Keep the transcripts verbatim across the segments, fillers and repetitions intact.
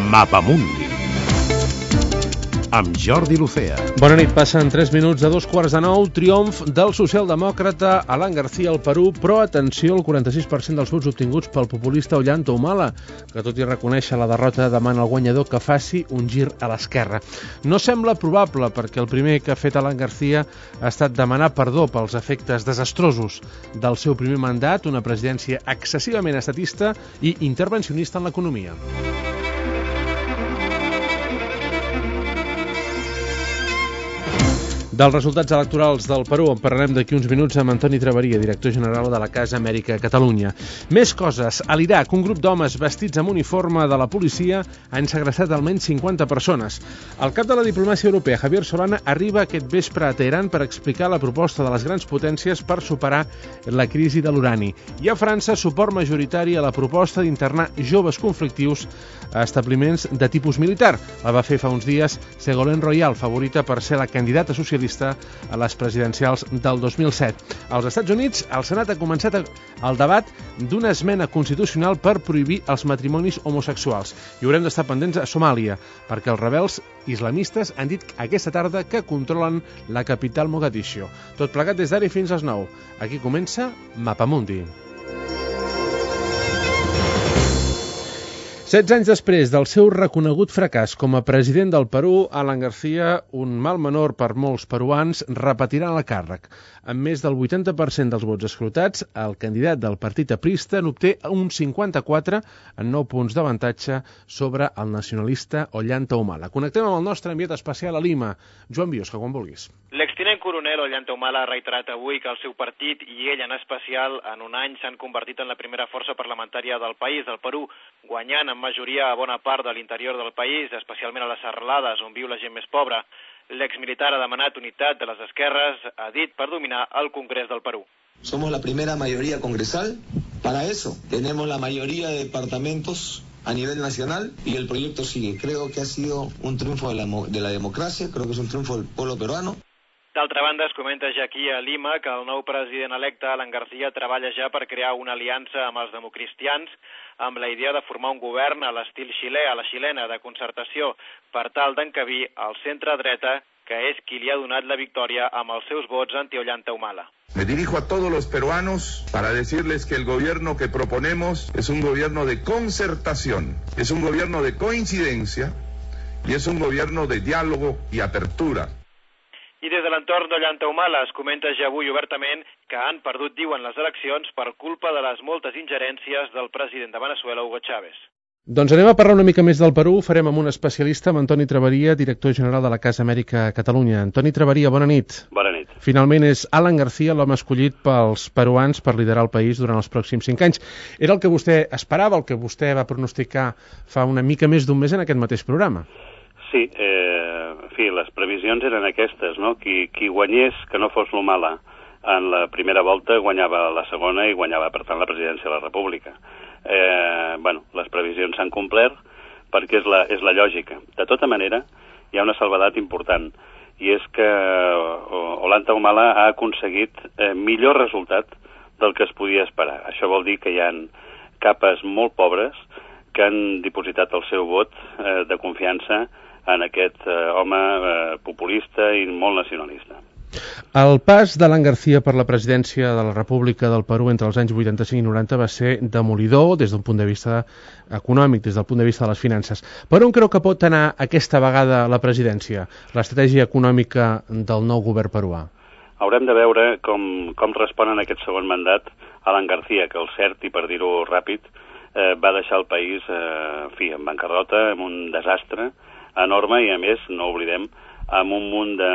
Mapamundi amb Jordi Lucea. Bona nit, passen tres minuts de dos quarts de nou. Triomf del socialdemòcrata Alan García al Perú, però atenció, el quaranta-sis per cent dels vots obtinguts pel populista Ollanta Humala, que tot i reconèixer la derrota demana al guanyador que faci un gir a l'esquerra. No sembla probable, perquè el primer que ha fet Alan García ha estat demanar perdó pels efectes desastrosos del seu primer mandat, una presidència excessivament estatista i intervencionista en l'economia. Dels resultats electorals del Perú en parlarem d'aquí uns minuts amb Antoni Traveria, director general de la Casa Amèrica Catalunya. Més coses. A l'Iraq, un grup d'homes vestits amb uniforme de la policia han segrestat almenys cinquanta persones. El cap de la diplomàcia europea, Javier Solana, arriba aquest vespre a Teheran per explicar la proposta de les grans potències per superar la crisi de l'urani. I a França, suport majoritari a la proposta d'internar joves conflictius a establiments de tipus militar. La va fer fa uns dies Ségolène Royal, favorita per ser la candidata socialista a les presidencials del dos mil set. Als Estats Units, el Senat ha començat el debat d'una esmena constitucional per prohibir els matrimonis homosexuals. I haurem d'estar pendents a Somàlia, perquè els rebels islamistes han dit aquesta tarda que controlen la capital Mogadiscio. Tot plegat des d'ara fins a les nou. Aquí comença Mapamundi. setze anys després del seu reconegut fracàs com a president del Perú, Alan García, un mal menor per molts peruans, repetirà el càrrec. Amb més del vuitanta per cent dels vots escrutats, el candidat del partit aprista n'obté un cinquanta-quatre en nou punts d'avantatge sobre el nacionalista Ollanta Humala. Connectem amb el nostre enviat especial a Lima, Joan Biosca, quan vulguis. L'extinent coronel Ollanta Humala ha reiterat avui que el seu partit i ell en especial en un any s'han convertit en la primera força parlamentària del país, del Perú, guanyant en majoria a bona part de l'interior del país, especialment a les serralades on viu la gent més pobra. L'exmilitar ha demanat unitat de les esquerres, ha dit, per dominar el Congrés del Perú. Somos la primera mayoría congresal, para eso tenemos la mayoría de departamentos a nivel nacional y el proyecto sigue. Creo que ha sido un triunfo de la, de la democracia, creo que es un triunfo del pueblo peruano. D'altra banda, es comenta ja aquí a Lima que el nou president electe, Alan García, treballa ja per crear una aliança amb els democristians amb la idea de formar un govern a l'estil xilè, a la xilena, de concertació, per tal d'encabir el centre-dreta, que és qui li ha donat la victòria amb els seus vots anti-Ollanta Humala. Me dirijo a todos los peruanos para decirles que el gobierno que proponemos es un gobierno de concertación, es un gobierno de coincidencia y es un gobierno de diálogo y apertura. I des de l'entorn d'Ollanta Humala es comenta ja avui obertament que han perdut, diuen, les eleccions per culpa de les moltes ingerències del president de Venezuela, Hugo Chávez. Doncs anem a parlar una mica més del Perú. Ho farem amb un especialista, amb Antoni Traveria, director general de la Casa Amèrica Catalunya. Antoni Traveria, bona nit. Bona nit. Finalment és Alan García l'home escollit pels peruans per liderar el país durant els pròxims cinc anys. Era el que vostè esperava, el que vostè va pronosticar fa una mica més d'un mes en aquest mateix programa. Sí, eh, en fi, les previsions eren aquestes, no? Qui, qui guanyés, que no fos l'Humala, en la primera volta guanyava la segona i guanyava, per tant, la presidència de la República. Eh, bueno, les previsions s'han complert perquè és la, és la lògica. De tota manera, hi ha una salvedat important, i és que Ollanta Humala ha aconseguit eh, millor resultat del que es podia esperar. Això vol dir que hi ha capes molt pobres que han dipositat el seu vot eh, de confiança en aquest eh, home eh, populista i molt nacionalista. El pas d'Alan García per la presidència de la República del Perú entre els anys vuitanta-cinc i noranta va ser demolidor des d'un punt de vista econòmic, des del punt de vista de les finances. Per on creu que pot anar aquesta vegada la presidència, l'estratègia econòmica del nou govern peruà? Haurem de veure com, com respon en aquest segon mandat Alan García, que el cert, i per dir-ho ràpid, eh, va deixar el país eh, en fi, en bancarrota, amb un desastre enorme i, a més, no oblidem, amb un munt de,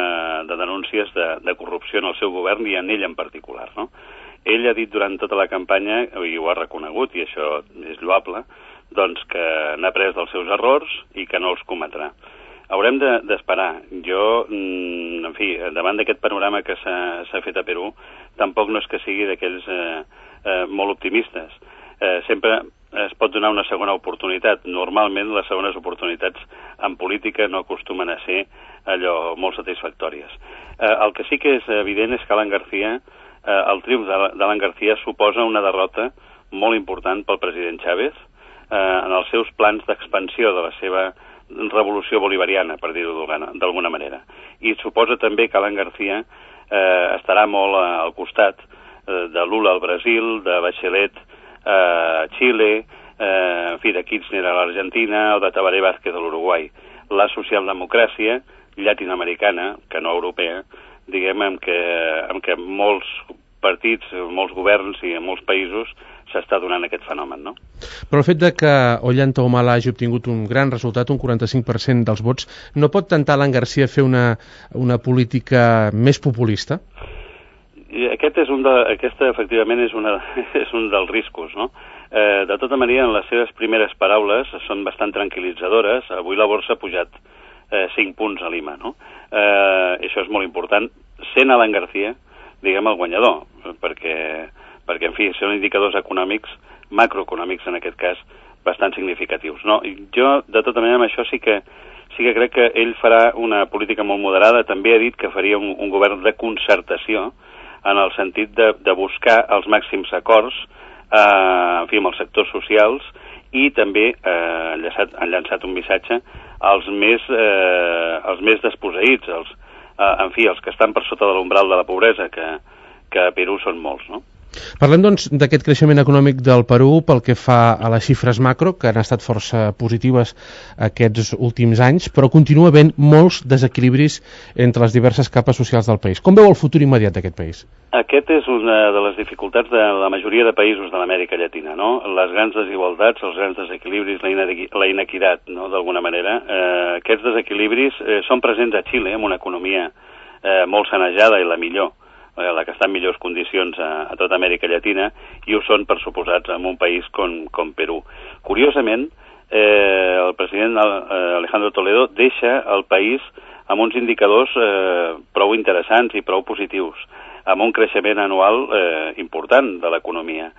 de denúncies de, de corrupció en el seu govern i en ell en particular, no? Ell ha dit durant tota la campanya, i ho ha reconegut, i això és lloable, doncs que n'ha après dels seus errors i que no els cometrà. Haurem d'esperar. De, jo, en fi, davant d'aquest panorama que s'ha fet a Perú, tampoc no és que sigui d'aquells eh, eh, molt optimistes. Eh, sempre es pot donar una segona oportunitat. Normalment les segones oportunitats en política no acostumen a ser allò molt satisfactòries. Eh, el que sí que és evident és que Alan García, eh, el triomf d'Alan García suposa una derrota molt important pel president Chávez eh, en el seu seus plans d'expansió, de la seva revolució bolivariana, per dir-ho d'alguna manera. I suposa també que Alan García eh, estarà molt al costat eh, de Lula al Brasil, de Bachelet a eh, Xile, eh, en fi, de Kirchner a l'Argentina o de Tabaré Vázquez a l'Uruguai. La socialdemocràcia llatinoamericana, que no europea, diguem, en què, en què molts partits, molts governs i en molts països s'està donant aquest fenomen, no? Però el fet de que Ollanta Humala hagi obtingut un gran resultat, un quaranta-cinc per cent dels vots, no pot tentar Alan García fer una, una política més populista? I aquest és un de, aquesta, efectivament, és, una, és un dels riscos, no? Eh, de tota manera, en les seves primeres paraules són bastant tranquil·litzadores. Avui la borsa ha pujat eh, cinc punts a Lima, no? Eh, això és molt important. Sent Alan García, diguem, el guanyador, perquè, perquè, en fi, són indicadors econòmics, macroeconòmics, en aquest cas, bastant significatius, no? I jo, de tota manera, amb això sí que, sí que crec que ell farà una política molt moderada. També ha dit que faria un, un govern de concertació, en el sentit de, de buscar els màxims acords, eh, en fi, amb els sectors socials, i també eh, han, llançat, han llançat un missatge als més, eh, als més desposseïts, els, eh, en fi, els que estan per sota de l'umbral de la pobresa, que, que a Perú són molts, no? Parlem, doncs, d'aquest creixement econòmic del Perú pel que fa a les xifres macro, que han estat força positives aquests últims anys, però continua havent molts desequilibris entre les diverses capes socials del país. Com veu el futur immediat d'aquest país? Aquest és una de les dificultats de la majoria de països de l'Amèrica Llatina, no? Les grans desigualtats, els grans desequilibris, la inequitat, no?, d'alguna manera. Eh, aquests desequilibris eh, són presents a Xile, amb una economia eh, molt sanejada i la millor, la que està en millors condicions a, a tota Amèrica Llatina, i ho són, per suposats, en un país com, com Perú. Curiosament, eh, el president Alejandro Toledo deixa el país amb uns indicadors eh, prou interessants i prou positius, amb un creixement anual eh, important de l'economia.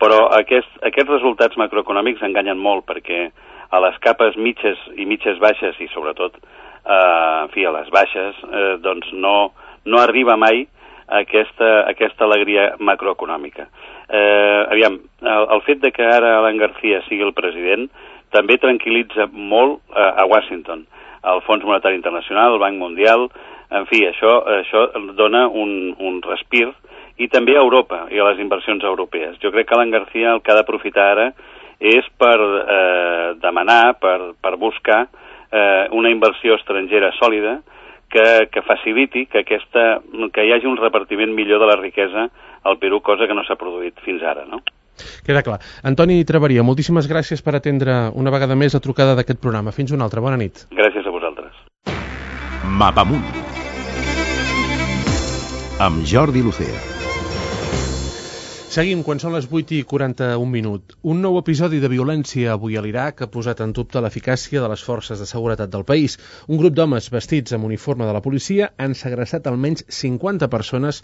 Però aquest, aquests resultats macroeconòmics enganyen molt, perquè a les capes mitges i mitges baixes, i sobretot eh, en fi, a les baixes, eh, doncs no, no arriba mai aquesta, aquesta alegria macroeconòmica. Eh, aviam, el, el fet de que ara Alan García sigui el president també tranquil·litza molt eh, a Washington, el Fons Monetari Internacional, el Banc Mundial, en fi, això, això dona un, un respir, i també a Europa i a les inversions europees. Jo crec que Alan García el que ha d'aprofitar ara és per eh, demanar, per, per buscar eh, una inversió estrangera sòlida, Que, que faciliti que, aquesta, que hi hagi un repartiment millor de la riquesa al Perú, cosa que no s'ha produït fins ara, no? Queda clar. Antoni Traveria, moltíssimes gràcies per atendre una vegada més la trucada d'aquest programa. Fins una altra. Bona nit. Gràcies a vosaltres. Mapamunt amb Jordi Lucea. Seguim quan són les vuit i quaranta-un minut. Un nou episodi de violència avui a l'Iraq ha posat en dubte l'eficàcia de les forces de seguretat del país. Un grup d'homes vestits amb uniforme de la policia han segrestat almenys cinquanta persones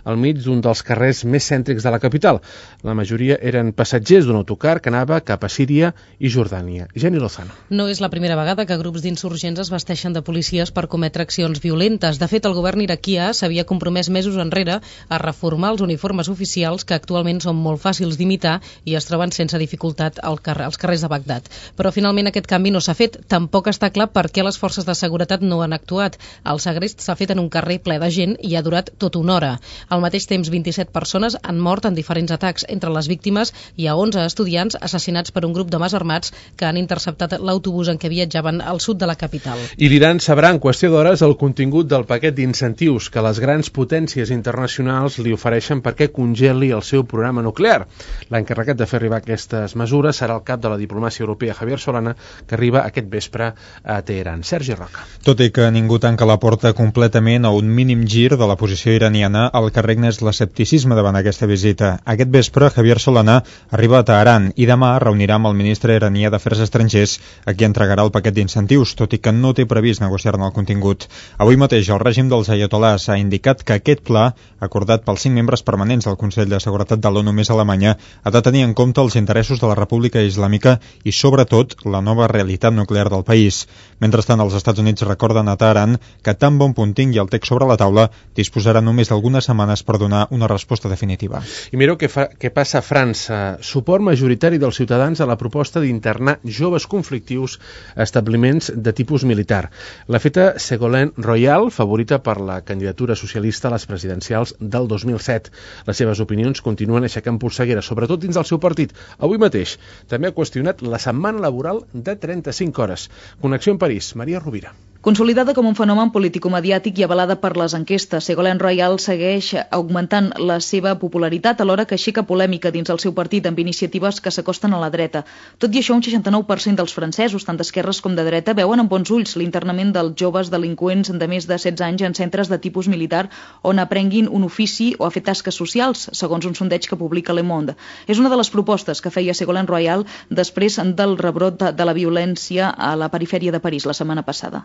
al mig d'un dels carrers més cèntrics de la capital. La majoria eren passatgers d'un autocar que anava cap a Síria i Jordània. Jenny Lozano. No és la primera vegada que grups d'insurgents es vesteixen de policies per cometre accions violentes. De fet, el govern iraquià s'havia compromès mesos enrere a reformar els uniformes oficials que actualment són molt fàcils d'imitar i es troben sense dificultat al carrer, als carrers de Bagdad. Però finalment aquest canvi no s'ha fet. Tampoc està clar per què les forces de seguretat no han actuat. El segrest s'ha fet en un carrer ple de gent i ha durat tota una hora. Al mateix temps, vint-i-set persones han mort en diferents atacs. Entre les víctimes hi ha onze estudiants assassinats per un grup d'homes armats que han interceptat l'autobús en què viatjaven al sud de la capital. I l'Iran sabrà en qüestió d'hores el contingut del paquet d'incentius que les grans potències internacionals li ofereixen perquè congeli el seu programa nuclear. L'encarregat de fer arribar aquestes mesures serà el cap de la diplomàcia europea, Javier Solana, que arriba aquest vespre a Teheran. Sergi Roca. Tot i que ningú tanca la porta completament a un mínim gir de la posició iraniana, el que regna és l'escepticisme davant aquesta visita. Aquest vespre, Javier Solana arriba a Teheran i demà reunirà amb el ministre iranià d'Afers Estrangers, a qui entregarà el paquet d'incentius, tot i que no té previst negociar-ne el contingut. Avui mateix el règim dels aiatolars ha indicat que aquest pla, acordat pels cinc membres permanents del Consell de Seguretat seguretat de l'ONU més Alemanya ha de tenir en compte els interessos de la República Islàmica i, sobretot, la nova realitat nuclear del país. Mentrestant, els Estats Units recorden a Teheran que tan bon punt tingui el text sobre la taula disposarà només d'algunes setmanes per donar una resposta definitiva. I mireu què, fa, què passa a França. Suport majoritari dels ciutadans a la proposta d'internar joves conflictius a establiments de tipus militar. L'ha feta Ségolène Royal, favorita per la candidatura socialista a les presidencials del dos mil set. Les seves opinions continuen aixecant polseguera, sobretot dins del seu partit. Avui mateix també ha qüestionat la setmana laboral de trenta-cinc hores. Connexió en París, Maria Rovira. Consolidada com un fenomen político-mediàtic i avalada per les enquestes, Ségolène Royal segueix augmentant la seva popularitat alhora que aixeca polèmica dins el seu partit amb iniciatives que s'acosten a la dreta. Tot i això, un seixanta-nou per cent dels francesos, tant d'esquerres com de dreta, veuen amb bons ulls l'internament dels joves delinqüents de més de setze anys en centres de tipus militar on aprenguin un ofici o a fer tasques socials, segons un sondeig que publica Le Monde. És una de les propostes que feia Ségolène Royal després del rebrot de, de la violència a la perifèria de París la setmana passada.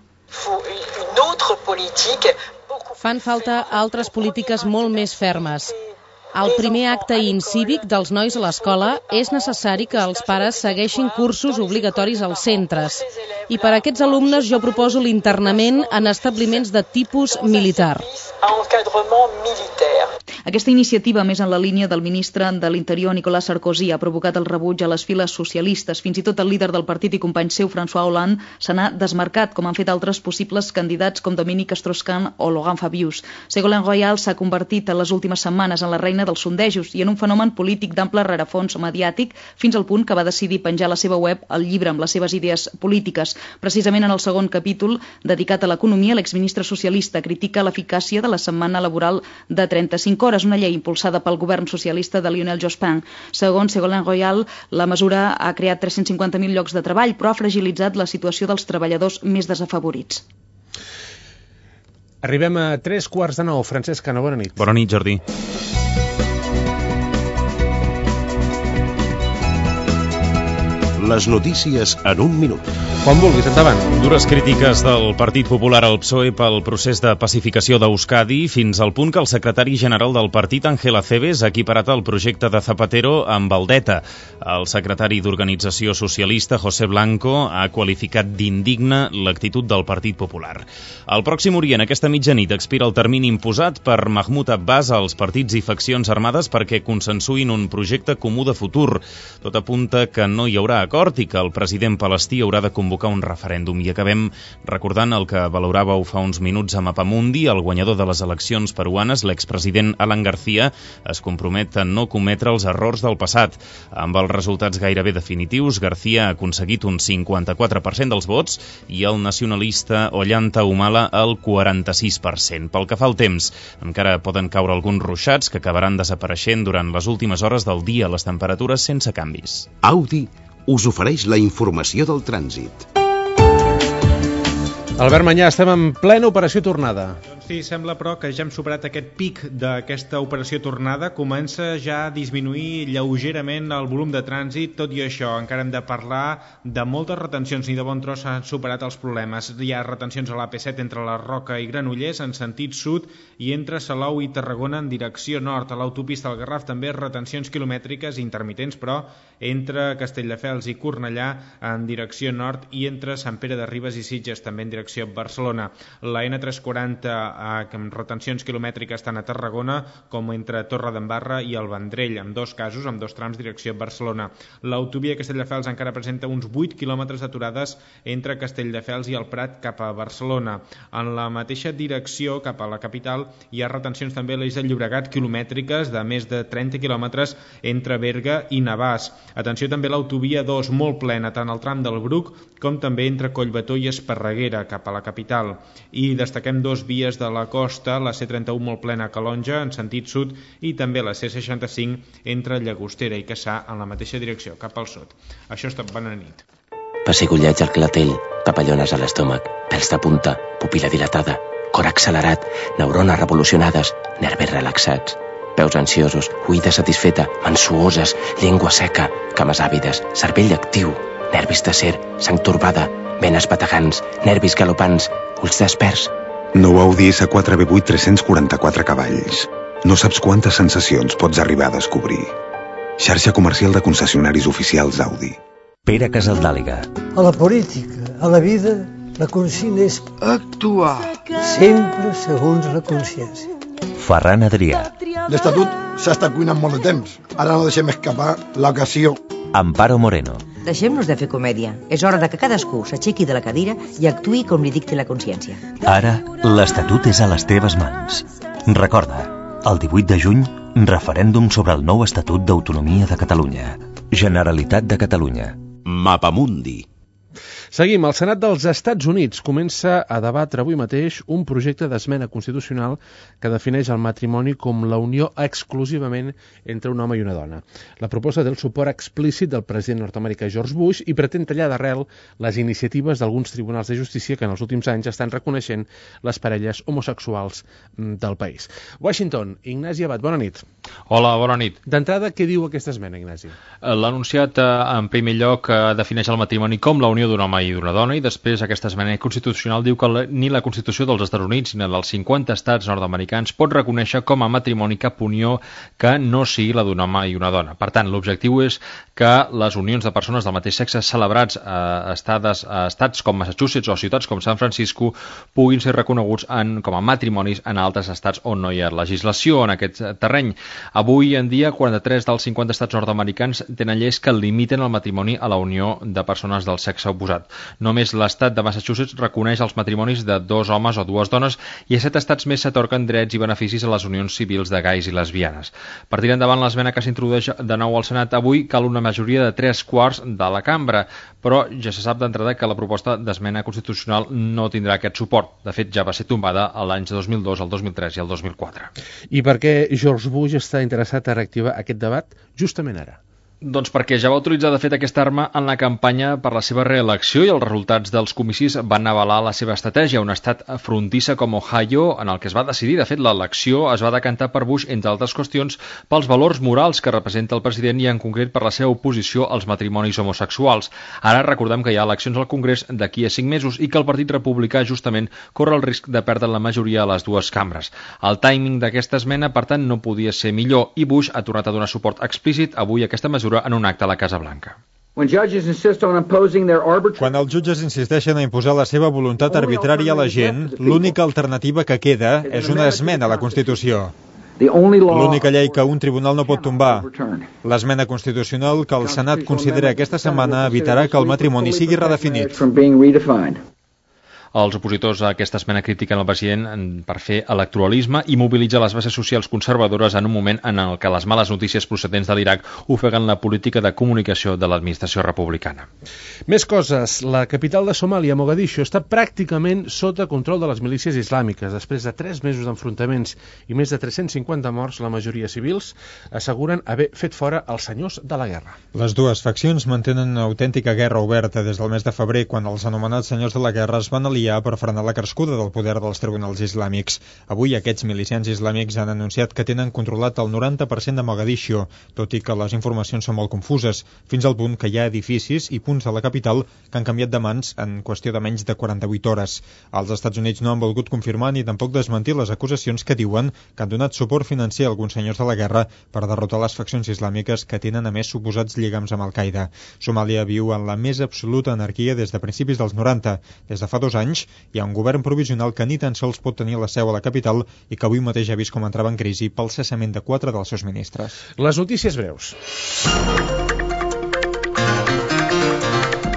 Fan falta altres polítiques molt més fermes. Al primer acte incívic dels nois a l'escola és necessari que els pares segueixin cursos obligatoris als centres. I per a aquests alumnes jo proposo l'internament en establiments de tipus militar. Aquesta iniciativa, més en la línia del ministre de l'Interior, Nicolas Sarkozy, ha provocat el rebuig a les files socialistes. Fins i tot el líder del partit i company seu, François Hollande, se n'ha desmarcat, com han fet altres possibles candidats com Dominique Strauss-Kahn o Laurent Fabius. Ségolène Royal s'ha convertit en les últimes setmanes en la reina dels sondejos i en un fenomen polític d'ample rerefons mediàtic, fins al punt que va decidir penjar a la seva web el llibre amb les seves idees polítiques. Precisament en el segon capítol, dedicat a l'economia, l'exministre socialista critica l'eficàcia de la setmana laboral de trenta-cinc hores, una llei impulsada pel govern socialista de Lionel Jospin. Segons Ségolène Royal, la mesura ha creat tres-cents cinquanta mil llocs de treball, però ha fragilitzat la situació dels treballadors més desafavorits. Arribem a tres quarts de nou. Francesc Cano, bona nit. Bona nit, Jordi. Les notícies en un minut. Quan vulguis, endavant. Dures crítiques del Partit Popular al P S O E pel procés de pacificació d'Euskadi, fins al punt que el secretari general del partit, Ángel Acebes, ha equiparat el projecte de Zapatero amb el d'ETA. El secretari d'Organització Socialista, José Blanco, ha qualificat d'indigne l'actitud del Partit Popular. Al Pròxim Orient, aquesta mitjanit, expira el termini imposat per Mahmoud Abbas als partits i faccions armades perquè consensuïn un projecte comú de futur. Tot apunta que no hi haurà acord i que el president palestí haurà de convocar un referèndum. I acabem recordant el que valoràveu fa uns minuts a Mapamundi. El guanyador de les eleccions peruanes, l'expresident Alan García, es compromet a no cometre els errors del passat. Amb els resultats gairebé definitius, García ha aconseguit un cinquanta-quatre per cent dels vots i el nacionalista Ollanta Humala el quaranta-sis per cent. Pel que fa al temps, encara poden caure alguns ruixats que acabaran desapareixent durant les últimes hores del dia, les temperatures sense canvis. Audi us ofereix la informació del trànsit. Albert Manyà, estem en plena operació tornada. Sí, sembla però que ja hem superat aquest pic d'aquesta operació tornada, comença ja a disminuir lleugerament el volum de trànsit, tot i això encara hem de parlar de moltes retencions, ni de bon tros s'han superat els problemes. Hi ha retencions a l'A P set entre la Roca i Granollers en sentit sud i entre Salou i Tarragona en direcció nord. A l'autopista del Garraf també retencions quilomètriques intermitents, però entre Castelldefels i Cornellà en direcció nord i entre Sant Pere de Ribes i Sitges també en direcció Barcelona. La N tres cents i quaranta amb retencions quilomètriques tant a Tarragona com entre Torredembarra i el Vendrell, en dos casos, amb dos trams direcció Barcelona. L'autovia Castelldefels encara presenta uns vuit quilòmetres d'aturades entre Castelldefels i el Prat cap a Barcelona. En la mateixa direcció cap a la capital hi ha retencions també a l'Eix del Llobregat quilomètriques de més de trenta quilòmetres entre Berga i Navàs. Atenció també a l'autovia dos, molt plena, tant al tram del Bruc com també entre Collbató i Esparreguera cap a la capital. I destaquem dos vies de la costa, la C trenta-u molt plena a Calonja en sentit sud i també la C seixanta-cinc entre Llagostera i Cassà en la mateixa direcció, cap al sud. Això està bona nit. Pessigolleig al clatell, papallones a l'estómac, pèls de punta, pupil·la dilatada, cor accelerat, neurones revolucionades, nervis relaxats, peus ansiosos, oïda satisfeta, mans suoses, llengua seca, cames àvides, cervell actiu, nervis d'acer, sang torbada, venes bategants, nervis galopants, ulls desperts. Nou Audi S quatre B vuit tres-cents quaranta-quatre cavalls. No saps quantes sensacions pots arribar a descobrir. Xarxa comercial de concessionaris oficials Audi. Pere Casaldàliga. A la política, a la vida, la consigna és actuar, sempre segons la consciència. Ferran Adrià. L'Estatut s'ha estat cuinant molt de temps. Ara no deixem escapar l'ocasió. Amparo Moreno. Deixem-nos de fer comèdia. És hora de que cadascú s'aixequi de la cadira i actuï com li dicti la consciència. Ara, l'Estatut és a les teves mans. Recorda, el divuit de juny, referèndum sobre el nou Estatut d'Autonomia de Catalunya. Generalitat de Catalunya. Mapamundi. Seguim. El Senat dels Estats Units comença a debatre avui mateix un projecte d'esmena constitucional que defineix el matrimoni com la unió exclusivament entre un home i una dona. La proposta té el suport explícit del president nord-americà George Bush i pretén tallar d'arrel les iniciatives d'alguns tribunals de justícia que en els últims anys estan reconeixent les parelles homosexuals del país. Washington, Ignasi Abad, bona nit. Hola, bona nit. D'entrada, què diu aquesta esmena, Ignasi? L'ha anunciat en primer lloc defineix el matrimoni com la unió d'un home i d'una dona, i després aquesta esmena constitucional diu que ni la Constitució dels Estats Units ni la dels cinquanta estats nord-americans pot reconèixer com a matrimoni cap unió que no sigui la d'un home i una dona. Per tant, l'objectiu és que les unions de persones del mateix sexe celebrats a, estades, a estats com Massachusetts o ciutats com San Francisco puguin ser reconeguts en, com a matrimonis en altres estats on no hi ha legislació en aquest terreny. Avui en dia, quaranta-tres dels cinquanta estats nord-americans tenen lleis que limiten el matrimoni a la unió de persones del sexe oposat. Només l'estat de Massachusetts reconeix els matrimonis de dos homes o dues dones i a set estats més s'atorquen drets i beneficis a les unions civils de gais i lesbianes. Per tirar endavant l'esmena que s'introdueix de nou al Senat avui cal una majoria de tres quarts de la cambra, però ja se sap d'entrada que la proposta d'esmena constitucional no tindrà aquest suport. De fet, ja va ser tombada l'any dos mil dos, el dos mil tres i el dos mil quatre. I per què George Bush està interessat a reactivar aquest debat justament ara? Doncs perquè ja va utilitzar de fet aquesta arma en la campanya per la seva reelecció i els resultats dels comicis van avalar la seva estratègia. Un estat frontissa com Ohio, en el que es va decidir, de fet l'elecció es va decantar per Bush, entre altres qüestions, pels valors morals que representa el president i en concret per la seva oposició als matrimonis homosexuals. Ara recordem que hi ha eleccions al Congrés d'aquí a cinc mesos i que el Partit Republicà justament corre el risc de perdre la majoria a les dues cambres. El timing d'aquesta esmena, per tant, no podia ser millor i Bush ha tornat a donar suport explícit avui a aquesta mesura en un acte a la Casa Blanca. Quan els jutges insisteixen a imposar la seva voluntat arbitrària a la gent, l'única alternativa que queda és una esmena a la Constitució. L'única llei que un tribunal no pot tombar. L'esmena constitucional que el Senat considera aquesta setmana evitarà que el matrimoni sigui redefinit. Els opositors a aquesta esmena critiquen el president per fer electoralisme i mobilitzar les bases socials conservadores en un moment en el que les males notícies procedents de l'Iraq ofeguen la política de comunicació de l'administració republicana. Més coses. La capital de Somàlia, Mogadiscio, està pràcticament sota control de les milícies islàmiques. Després de tres mesos d'enfrontaments i més de tres-cents cinquanta morts, la majoria civils asseguren haver fet fora els senyors de la guerra. Les dues faccions mantenen una autèntica guerra oberta des del mes de febrer, quan els anomenats senyors de la guerra es van aliar per frenar la crescuda del poder dels tribunals islàmics. Avui aquests milicians islàmics han anunciat que tenen controlat el noranta per cent de Mogadiscio, tot i que les informacions són molt confuses, fins al punt que hi ha edificis i punts de la capital que han canviat de mans en qüestió de menys de quaranta-vuit hores. Els Estats Units no han volgut confirmar ni tampoc desmentir les acusacions que diuen que han donat suport financer a alguns senyors de la guerra per derrotar les faccions islàmiques que tenen a més suposats lligams amb Al-Qaeda. Somàlia viu en la més absoluta anarquia des de principis dels noranta. Des de fa dos anys hi ha un govern provisional que ni tan sols pot tenir la seu a la capital i que avui mateix ha vist com entrava en crisi pel cessament de quatre dels seus ministres. Les notícies breus.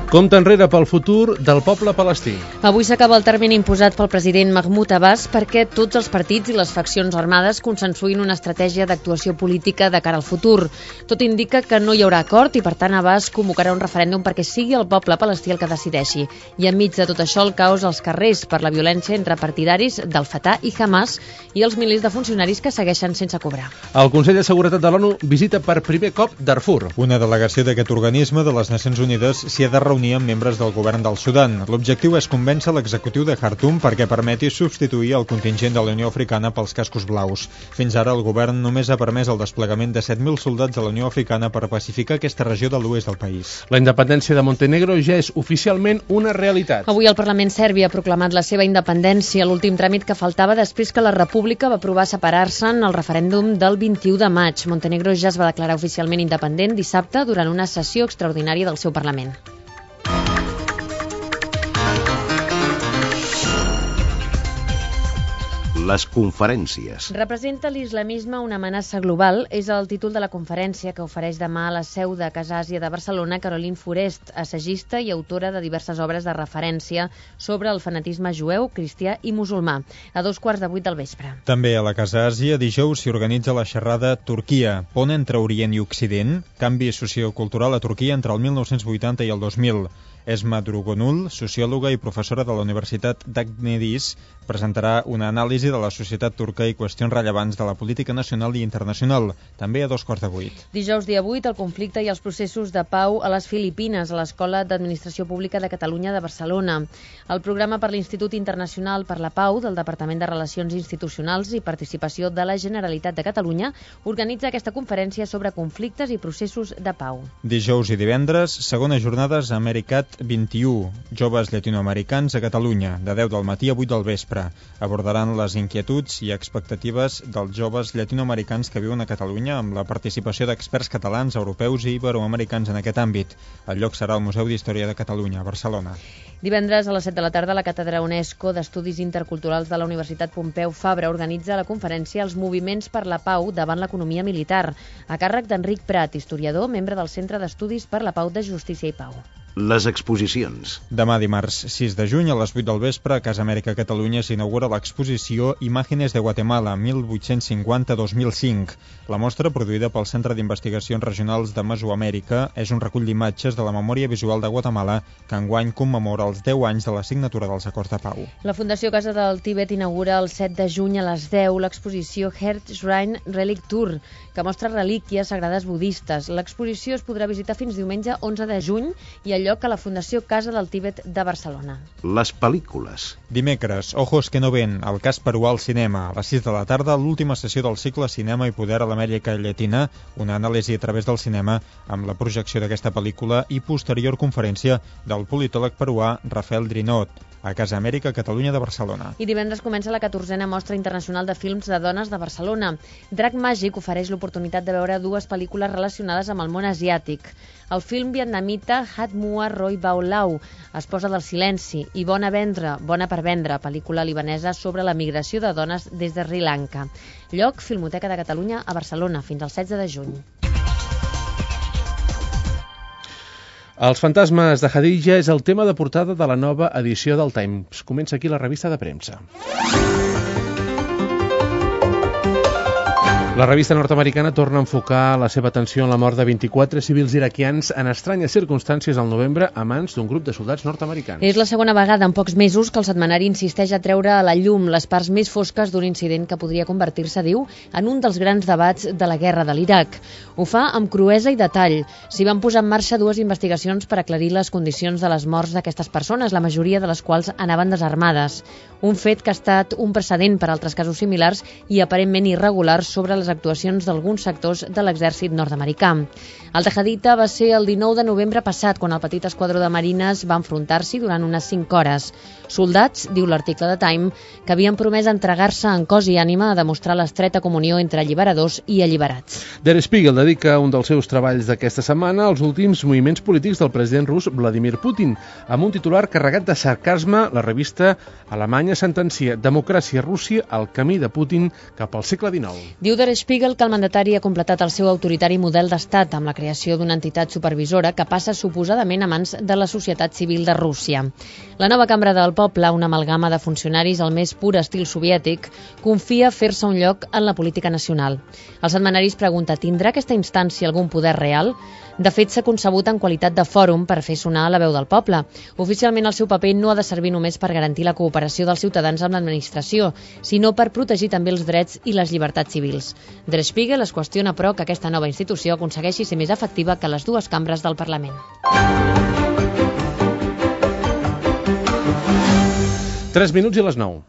Compte enrere pel futur del poble palestí. Avui s'acaba el termini imposat pel president Mahmoud Abbas perquè tots els partits i les faccions armades consensuïn una estratègia d'actuació política de cara al futur. Tot indica que no hi haurà acord i, per tant, Abbas convocarà un referèndum perquè sigui el poble palestí el que decideixi. I enmig de tot això, el caos als carrers per la violència entre partidaris del Fatah i Hamas i els milers de funcionaris que segueixen sense cobrar. El Consell de Seguretat de l'ONU visita per primer cop Darfur. Una delegació d'aquest organisme de les Nacions Unides s'hi ha de reunir reunir amb membres del govern del Sudan. L'objectiu és convèncer l'executiu de Khartoum perquè permeti substituir el contingent de la Unió Africana pels cascos blaus. Fins ara el govern només ha permès el desplegament de set mil soldats de la Unió Africana per pacificar aquesta regió de l'oest del país. La independència de Montenegro ja és oficialment una realitat. Avui el Parlament serbi ha proclamat la seva independència, l'últim tràmit que faltava després que la República va aprovar separar-se en el referèndum del vint-i-u de maig. Montenegro ja es va declarar oficialment independent dissabte durant una sessió extraordinària del seu Parlament. Les conferències. Representa l'islamisme una amenaça global és el títol de la conferència que ofereix demà a la seu de Casa Àsia de Barcelona Caroline Forest, assagista i autora de diverses obres de referència sobre el fanatisme jueu, cristià i musulmà, a dos quarts de vuit del vespre. També a la Casa Àsia dijous s'hi organitza la xerrada Turquia, pont entre Orient i Occident, canvi sociocultural a Turquia entre el mil nou-cents vuitanta i el dos mil. Esma Drugonul, sociòloga i professora de la Universitat d'Agneris, presentarà una anàlisi de la societat turca i qüestions rellevants de la política nacional i internacional, també a dos quarts de vuit. Dijous dia vuit, el conflicte i els processos de pau a les Filipines, a l'Escola d'Administració Pública de Catalunya de Barcelona. El programa per l'Institut Internacional per la Pau del Departament de Relacions Institucionals i Participació de la Generalitat de Catalunya organitza aquesta conferència sobre conflictes i processos de pau. Dijous i divendres, segona jornades a Americat vint i u, joves llatinoamericans a Catalunya, de deu del matí a vuit del vespre. Abordaran les inquietuds i expectatives dels joves llatinoamericans que viuen a Catalunya amb la participació d'experts catalans, europeus i iberoamericans en aquest àmbit. El lloc serà al Museu d'Història de Catalunya, a Barcelona. Divendres a les set de la tarda, la Càtedra UNESCO d'Estudis Interculturals de la Universitat Pompeu Fabra organitza la conferència Els moviments per la pau davant l'economia militar, a càrrec d'Enric Prat, historiador, membre del Centre d'Estudis per la Pau de Justícia i Pau. Les exposicions. Demà dimarts sis de juny a les vuit del vespre a Casa Amèrica Catalunya s'inaugura l'exposició Imágenes de Guatemala mil vuit-cents cinquanta a dos mil cinc. La mostra, produïda pel Centre d'Investigacions Regionals de Mesoamèrica, és un recull d'imatges de la memòria visual de Guatemala que enguany commemora els deu anys de la signatura dels acords de pau. La Fundació Casa del Tibet inaugura el set de juny a les deu l'exposició Heart Shrine Relic Tour, que mostra relíquies sagrades budistes. L'exposició es podrà visitar fins diumenge onze de juny i al lloc a la Fundació Casa del Tibet de Barcelona. Les pel·lícules. Dimecres, Ojos que no ven, el cas peruà al cinema. A les sis de la tarda, l'última sessió del cicle Cinema i Poder a l'Amèrica Llatina, una anàlisi a través del cinema amb la projecció d'aquesta pel·lícula i posterior conferència del politòleg peruà Rafael Drinot a Casa Amèrica Catalunya de Barcelona. I divendres comença la catorzena Mostra Internacional de Films de Dones de Barcelona. Drac Màgic ofereix l'oportunitat de veure dues pel·lícules relacionades amb el món asiàtic. El film vietnamita Hat Mua Roi Bao Lau, Esposa del silenci, i Bona vendre, Bona per vendre, pel·lícula libanesa sobre la migració de dones des de Sri Lanka. Lloc, Filmoteca de Catalunya a Barcelona, fins al setze de juny. Els fantasmes de Hadija és el tema de portada de la nova edició del Times. Comença aquí la revista de premsa. La revista nord-americana torna a enfocar la seva atenció en la mort de vint-i-quatre civils iraquians en estranyes circumstàncies al novembre a mans d'un grup de soldats nord-americans. És la segona vegada en pocs mesos que el setmanari insisteix a treure a la llum les parts més fosques d'un incident que podria convertir-se, diu, en un dels grans debats de la guerra de l'Iraq. Ho fa amb cruesa i detall. S'hi van posar en marxa dues investigacions per aclarir les condicions de les morts d'aquestes persones, la majoria de les quals anaven desarmades. Un fet que ha estat un precedent per altres casos similars i aparentment irregulars sobre les actuacions d'alguns sectors de l'exèrcit nord-americà. El de Haditha va ser el dinou de novembre passat, quan el petit esquadró de marines va enfrontar-s'hi durant unes cinc hores. Soldats, diu l'article de Time, que havien promès entregar-se en cos i ànima a demostrar l'estreta comunió entre alliberadors i alliberats. Der Spiegel dedica un dels seus treballs d'aquesta setmana als últims moviments polítics del president rus Vladimir Putin. Amb un titular carregat de sarcasme, la revista alemanya sentencia Democràcia Rússia al camí de Putin cap al segle dinou. Diu Der Spiegel que el mandatari ha completat el seu autoritari model d'estat amb la creació d'una entitat supervisora que passa suposadament a mans de la societat civil de Rússia. La nova cambra del poble, una amalgama de funcionaris al més pur estil soviètic, confia fer-se un lloc en la política nacional. El setmanari es pregunta, tindrà aquesta instància algun poder real? De fet, s'ha concebut en qualitat de fòrum per fer sonar la veu del poble. Oficialment, el seu paper no ha de servir només per garantir la cooperació dels ciutadans amb l'administració, sinó per protegir també els drets i les llibertats civils. Der Spiegel es qüestiona, però, que aquesta nova institució aconsegueixi ser més efectiva que les dues cambres del Parlament. tres minuts i les nou.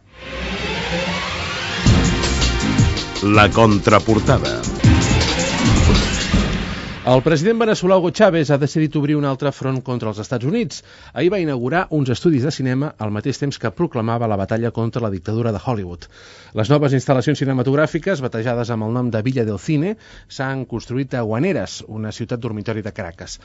La contraportada. El president veneçolà Hugo Chávez ha decidit obrir un altre front contra els Estats Units. Ahir va inaugurar uns estudis de cinema al mateix temps que proclamava la batalla contra la dictadura de Hollywood. Les noves instal·lacions cinematogràfiques, batejades amb el nom de Villa del Cine, s'han construït a Guaneres, una ciutat dormitori de Caracas.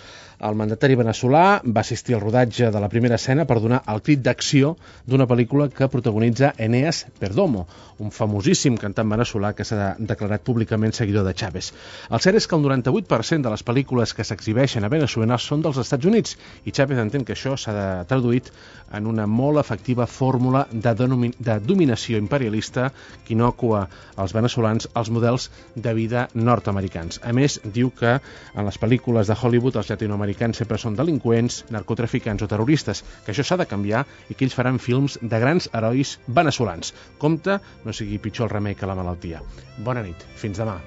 El mandatari veneçolà va assistir al rodatge de la primera escena per donar el crit d'acció d'una pel·lícula que protagonitza Eneas Perdomo, un famosíssim cantant veneçolà que s'ha declarat públicament seguidor de Chávez. El cert és que el noranta-vuit per cent de les pel·lícules que s'exhibeixen a Veneçuela són dels Estats Units i Chávez entén que això s'ha traduït en una molt efectiva fórmula de, de dominació imperialista que innocua als veneçolans els models de vida nord-americans. A més, diu que en les pel·lícules de Hollywood els llatinoamericans sempre són delinqüents, narcotraficants o terroristes, que això s'ha de canviar i que ells faran films de grans herois veneçolans. Compte, no sigui pitjor el remei que la malaltia. Bona nit, fins demà.